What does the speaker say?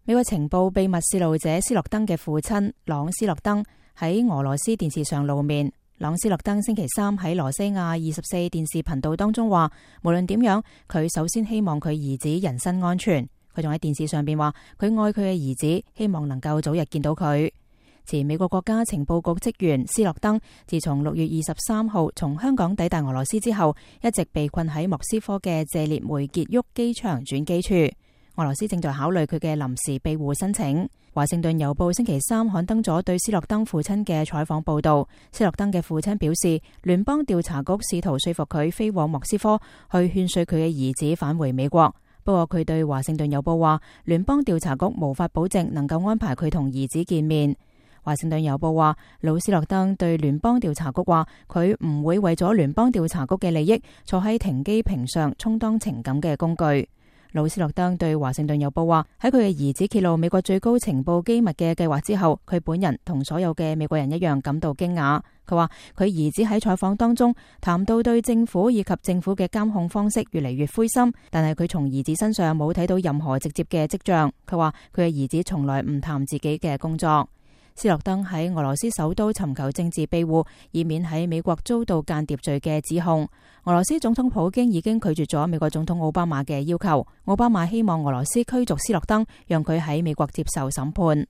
美國情報秘密洩露者斯諾登嘅父親朗斯諾登喺俄羅斯電視上露面。朗斯諾登星期三喺羅西亞24電視頻道當中話，無論點樣，佢首先希望佢兒子人身安全。佢仲喺電視上邊話，佢愛佢嘅兒子，希望能夠早日見到佢。前美國國家情報局職員斯諾登自從6月23號從香港抵達俄羅斯之後，一直被困喺莫斯科嘅謝列梅傑沃機場轉機處。俄羅斯正在考慮佢嘅臨時庇護申請。華盛頓郵報星期三刊登咗對斯諾登父親嘅採訪報道。斯諾登嘅父親表示，聯邦調查局試圖說服佢飛往莫斯科去勸說佢嘅兒子返回美國。不過佢對華盛頓郵報話，聯邦調查局無法保證能夠安排佢同兒子見面。華盛頓郵報話，魯斯諾登對聯邦調查局話，佢唔會為咗聯邦調查局嘅利益坐喺停機坪上充當情感嘅工具。魯斯諾登對華盛頓郵報話，喺佢嘅兒子揭露美國最高情報機密嘅計劃之後，佢本人同所有嘅美國人一樣感到驚訝。佢話佢兒子喺採訪當中談到對政府以及政府嘅監控方式越嚟越灰心，但係佢從兒子身上冇睇到任何直接嘅跡象。佢話佢嘅兒子從來唔談自己嘅工作。斯諾登喺俄羅斯首都尋求政治庇護，以免喺美國遭到間諜罪嘅指控。俄羅斯總統普京已經拒絕咗美國總統奧巴馬嘅要求。奧巴馬希望俄羅斯驅逐斯諾登，讓佢喺美國接受審判。